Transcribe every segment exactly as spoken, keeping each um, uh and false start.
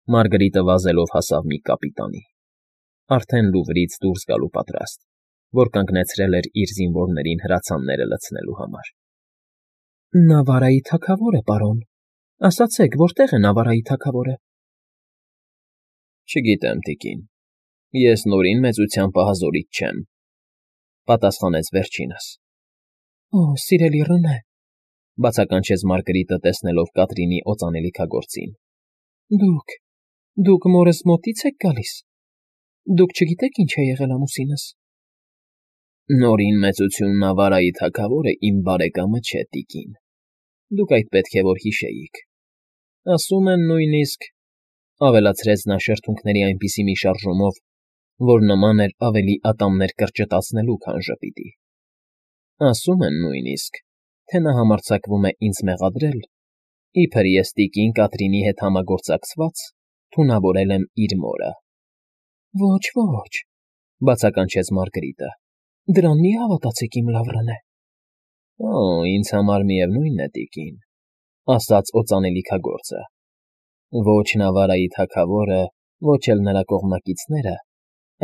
Մարգարիտը վազելով հասավ մի կապիտանի, արդեն Լուվրից դուրս գալու պատրաստ, որ կանգնեցրել էր իր զինվորներին հրացանները լցնելու համար։ ֊ Նավարայի թագավորը, պարոն, ասացեք, որտե՞ղ է Նավարայի թագավորը։ ֊ Չգիտեմ, տիկին, ես Նորին մեծության պահազորից չեմ,֊ պատասխանեց վերջինս։ ֊ Օ, սիրելի Ռնե,֊ բացականչեց Մարգարիտը, տեսնելով Կատրինի օծանելիքագործին,֊ դուք… դուք մորս մոտի՞ց եք գալիս… Դուք չգիտեք ինչ է եղել ամուսինս։ ֊ Նորին մեծություն Նավարայի թագավորը իմ բարեկամը չէ, տիկին, դուք այդ պետք է որ հիշեիք, ասում են նույնիսկ,֊ ավելացրեց նա շրթունքների այնպիսի մի շարժումով, որ նման էր ավելի ատամներ կրճտացնելու, քան ժպիտի,֊ ասում են նույնիսկ, թե նա համարձակվում է ինձ մեղադրել, իբր ես տիկին Կատրինի հետ համագործակցված թունավորել եմ իր մորը։ ֊ Ոչ, ոչ,֊ բացականչեց Մարգարիտը,֊ դրան մի հավատացեք, իմ լավ Ռնե։ ֊ Օ, ինձ համար միևնույն է, տիկին,֊ ասաց օծանելիքագործը,֊ ոչ Նավարայի թագավորը, ոչ էլ նրա կողմնակիցները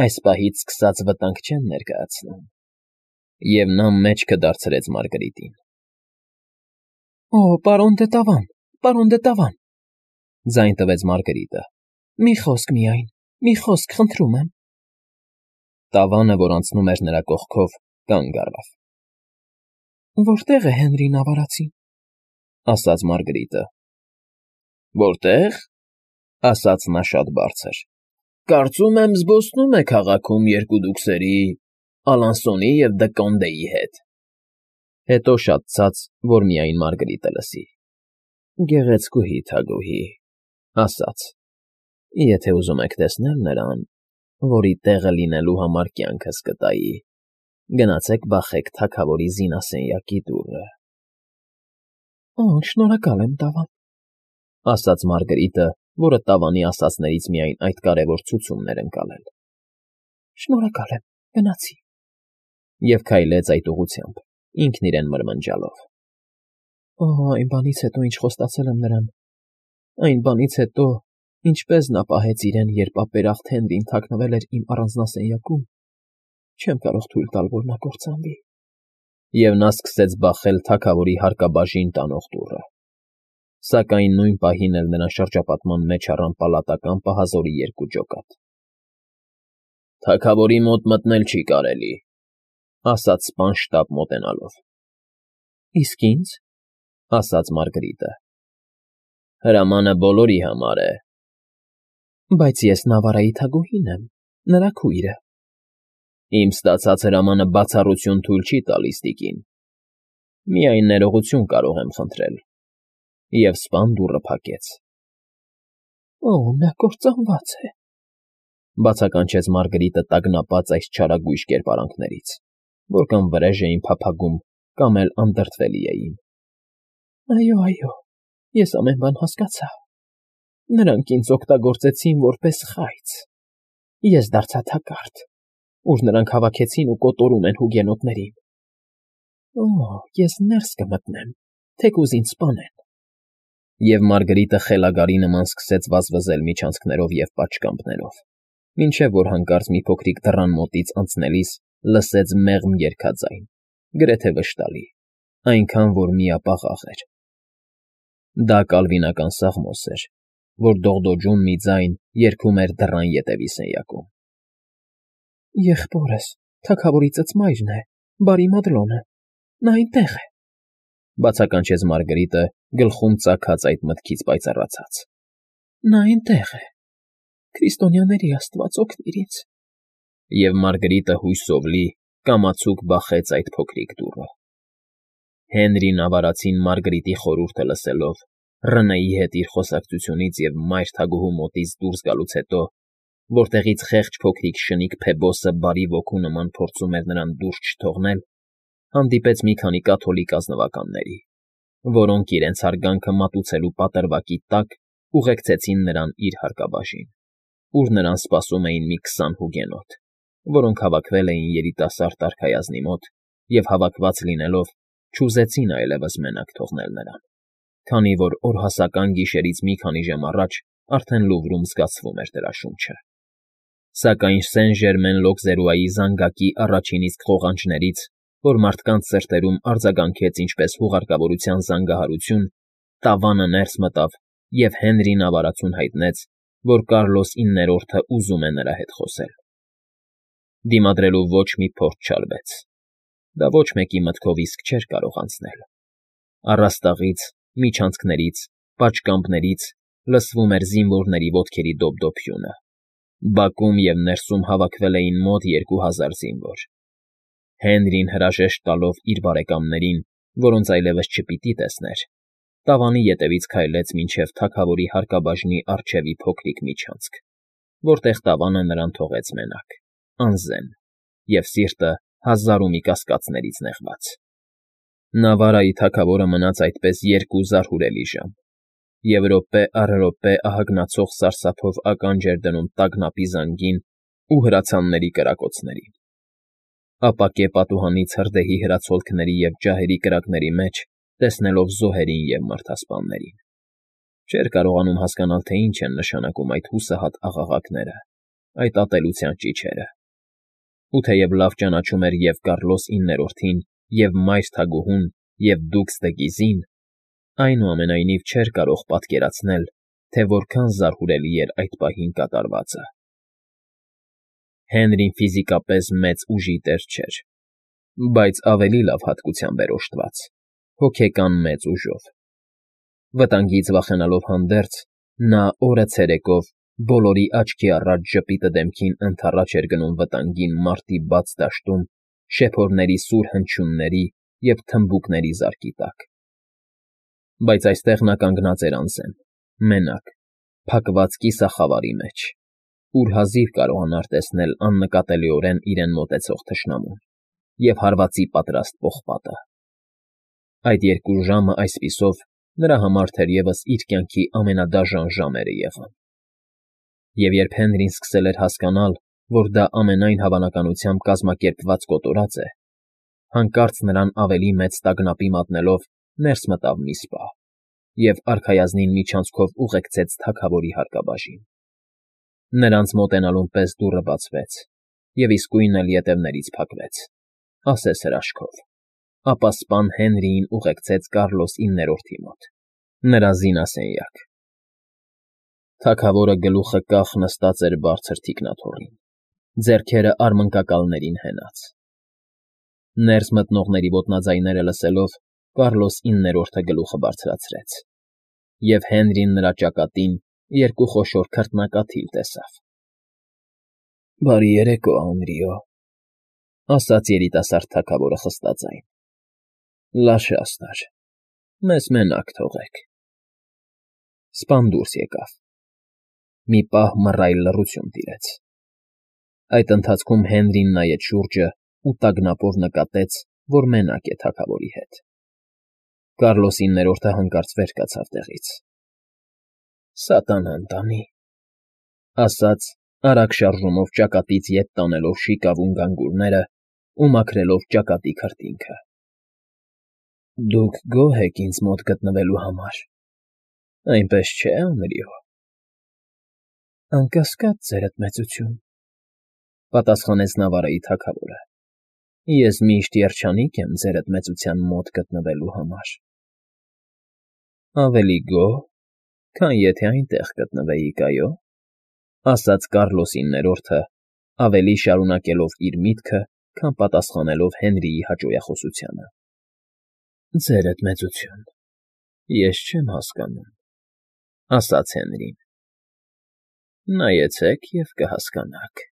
այս պահից սկսած վտանգ չեն ներկայացնում,֊ և նա մեջքը դարձրեց Մարգարիտին։ ֊ Օ, պարոն դե Տավան, պարոն դե Տավան,֊ ձայն տվեց Մարգարիտը,֊ մի խոսք միայն, մի խոսք, խնդրում եմ… Տավանը, որ անցնում էր նրա կողքով, կանգ առավ։ ֊ Որտե՞ղ է Հենրի Նավարացին,֊ ասաց Մարգարիտը։ ֊ Որտե՞ղ,֊ ասաց նա շատ բարձր,֊ կարծում եմ զբոսնում է քաղաքում երկու դուքսերի՝ Ալանսոնի և Դը հետ… Հետո շատ ցած, որ միայն Մարգարիտը լսի. Գեղեցկուհի Թագուհի,֊ ասաց,֊ եթե ուզում եք տեսնել նրան, որի տեղը լինելու համար կյանքս կտայի, գնացեք բախեք թագավորի զինասենյակի դուռը։ ֊ Օ, շնորհակալ եմ, Տավան,֊ ասաց Մարգարիտը, որը Տավանի ասածներից միայն այդ կարևոր ցուցումն էր ընկալել։ ֊ Շնորհակալ եմ, գնացի… Եվ քայլեց այդ ուղղությամբ, ինքն իրեն մրմնջալով. Օ, այն բանից հետո, ինչ խոստացել եմ նրան, այն բանից հետո, ինչպես նա պահեց իրեն, երբ ապերախտ Հենրին թաքնվել էր իմ առանձնասենյակում, չեմ կարող թույլ տալ, որ նա կործանվի… Եվ նա սկսեց բախել թագավորի հարկաբաժին տանող դուռը, սակայն նույն պահին էլ նրան շրջապատման մեջ առան պալատական պահազորի երկու ջոկատ։ ֊ Թագավորի մոտ մտնել չի կարելի,֊ ասաց սպան մոտենալով։ ֊ Իսկ ինձ,֊ ասաց Մարգարիտը։ ֊ Հրամանը բոլորի համար է։ ֊ Բայց ես Նավարայի թագուհին եմ, նրա քույրը։ ֊ Իմ ստացած հրամանը բացառություն թույլ չի տալիս, տիկին, միայն ներողություն կարող եմ խնդրել, և սպան դուռը փակեց։ ֊ Օ, նա կործանված է,֊ բացականչեց Մարգարիտը տագնապած այս չարագույժ կերպարանքներից, որ կամ վրեժ էին փափագում, կամ էլ անդրդվելի էին։ ֊ Այո, այո, ես ամեն բան հասկացա… Նրանք ինձ օգտագործեցին որպես խայծ… Ես դարձա թակարդ, ուր նրանք հավաքեցին ու կոտորում են հուգենոտներին… Օ, ես ներս կմտնեմ, թեկուզ ինձ սպանեն… Եվ Մարգարիտը խելագարի նման սկսեց վազվզել միջանցքներով և պատշգամբներով, մինչև որ հանկարծ մի փոքրիկ դռան մոտից անցնելիս լսեց մեղմ երգաձայն, գրեթե վշտալի, այնքան, որ միապաղաղ էր… Դա կալվինական սաղմոս էր, որ դողդոջուն մի ձայն երգում էր դռան ետևի սենյակում։ ֊ Եղբորս, թագավորի ծծմայրն է, Բարի Մադլոնը, նա այնտեղ է,֊ բացականչեց Մարգարիտը, գլխում ծագած այդ մտքից պայծառացած,֊ նա այնտեղ է… Քրիստոնյաների Աստված, օգնիր ինձ… Եվ Մարգարիտը հույսով լի կամացուկ բախեց այդ փոքրիկ դուռը։ Հենրի Նավարացին Մարգարիտի խորհուրդը լսելով, Ռնեի հետ իր խոսակցությունից և մայր թագուհու մոտից դուրս գալուց հետո, որտեղից խեղճ փոքրիկ շնիկ Փեբոսը բարի ոգու նման փորձում էր նրան դուրս չթողնել, հանդիպեց մի քանի կաթոլիկ ազնվականների, որոնք իրենց հարգանքը մատուցելու պատրվակի տակ ուղեկցեցին նրան իր հարկաբաժին, ուր նրան սպասում էին մի քսան հուգենոտ, որոնք հավաքվել էին երիտասարդ արքայազնի մոտ և, հավաքված լինելով, չուզեցին այլևս մենակ թողնել նրան, քանի որ օրհասական գիշերից մի քանի ժամ առաջ արդեն Լուվրում զգացվում էր դրա շունչը։ Սակայն Սեն֊Ժերմեն Լոկզերուայի զանգակի առաջին իսկ ղողանջներից, որ մարդկանց սրտերում արձագանքեց ինչպես հուղարկավորության զանգահարություն, տավանը ներս մտավ և Հենրին ավարածուն հայտնեց, որ Կարլոս իններորդը ուզում է նրա հետ խոսել։ Դիմադրելու ոչ մի փորձ չարվեց։ Դա ոչ մեկի մտքով իսկ չէր կարող անցնել։ Առաստաղից, միջանցքներից, պատշգամբներից լսվում էր զինվորների ոտքերի դոպդոպյունը։ Բակում և ներսում հավաքվել էին մոտ երկու հազար զինվոր։ Հենրին հրաժեշտ տալով իր բարեկամներին, որոնց այլևս չպիտի տեսներ, տավանի ետևից քայլեց մինչև թագավորի հարկաբաժնի առջևի փոքրիկ միջանցք, որտեղ տավանը նրան թողեց մենակ, անզեն և սիրտը հազար ու մի կասկածներից նեղված։ Նավարայի թագավորը մնաց այդպես երկու զարհուրելի ժամ, և րոպե առ րոպե ահագնացող սարսափով ականջ էր դնում տագնապի զանգին ու հրացանների կրակոցներին։ Ապակե պատուհանից հրդեհի հրացոլքների և ջահերի կրակների մեջ տեսնելով զոհերին և մարդասպաններին։ Չէր կարողանում հասկանալ, թե ինչ են նշանակում այդ հուսահատ աղաղակները, այդ ատելության ճիչերը։ Ու թեև լավ ճանաչում էր և Կարլոս իններորդին, և մայր թագուհուն, և դուքս դը Գիզին, այնուամենայնիվ չէր կարող պատկերացնել, թե որքան զարհուրելի էր այդ պահին կատարվածը։ Հենրին ֆիզիկապես մեծ ուժի տեր չէր, բայց ավելի լավ հատկությամբ էր օժտված, հոգեկան մեծ ուժով։ Վտանգից վախենալով հանդերձ՝ նա օրը ցերեկով, բոլորի աչքի առաջ ժպիտը դեմքին ընդառաջ էր գնում վտանգին մարտի բաց դաշտում շեփորների սուր հնչյունների և թմբուկների զարկի տակ։ Բայց այստեղ նա կանգնած էր անզեն, մենակ, փակված կիսախավարի մեջ, ուր հազիվ կարողանար տեսնել աննկատելիորեն իրեն մոտեցող թշնամուն և հարվածի պատրաստ պողպատը։ Այդ երկու ժամը այսպիսով նրա համար թերևս իր կյանքի ամենադաժան ժամերը եղան։ Եվ երբ Հենրին սկսել էր հասկանալ, որ դա ամենայն հավանականությամբ կազմակերպված կոտորած է, հանկարծ նրան ավելի մեծ տագնապի մատնելով ներս մտավ մի սպա և արքայազնին միջանցքով ուղեկցեց թագավորի հարկաբաժին։ Նրանց մոտենալուն պես դուռը բացվեց, և իսկույն էլ ետևներից փակվեց, ասես հրաշքով, ապա սպան Հենրիին ուղեկցեց Կարլոս իններորդի մոտ, նրա զինասենյակ։ Թագավորը գլուխը կախ նստած էր բարձր թիկնաթոռին, ձեռքերը արմնկակալներին հենած։ Ներս մտնողների ոտնաձայները լսելով, Կարլոս իններորդը գլուխը բարձրացրեց, և Հենրին նրա ճակատին երկու խոշոր քրտնակաթիլ տեսավ։ ֊ Բարի երեկո, Անրիո,֊ ասաց երիտասարդ թագավորը խստաձայն։ ֊ Լաշաստար, մեզ մենակ թողեք։ Սպան դուրս եկավ։ Մի պահ մռայլ լռություն տիրեց։ Այդ ընթացքում Հենրին նայեց շուրջը ու տագնապով նկատեց, որ մենակ է թագավորի հետ։ Կարլոս իններորդը հանկարծ վեր կացավ տեղից։ ֊ Սատանան տանի,֊ ասաց, արագ շարժումով ճակատից ետ տանելով շիկավուն գանգուրներն ու մաքրելով ճակատի քրտինքը։ ֊ Դուք գոհ եք ինձ մոտ գտնվելու համար, այնպես չէ՞, Անրիո։ ֊ Անկասկած, ձերդ մեծություն,֊ պատասխանեց Նավարայի թագավորը։ Ես միշտ երջանիկ եմ ձերդ մեծության մոտ գտնվելու համար։ ֊ Ավելի գոհ, քան եթե այնտեղ գտնվեիք, այո,֊ ասաց Կարլոս իններորդը, ավելի շարունակելով իր միտքը, քան պատասխանելով Հենրիի հաճոյախոսությանը։ ֊ Ձերդ մեծություն, ես չեմ հասկանում,֊ ասաց Հենրին։ ֊ Նայեցեք և կհասկանաք։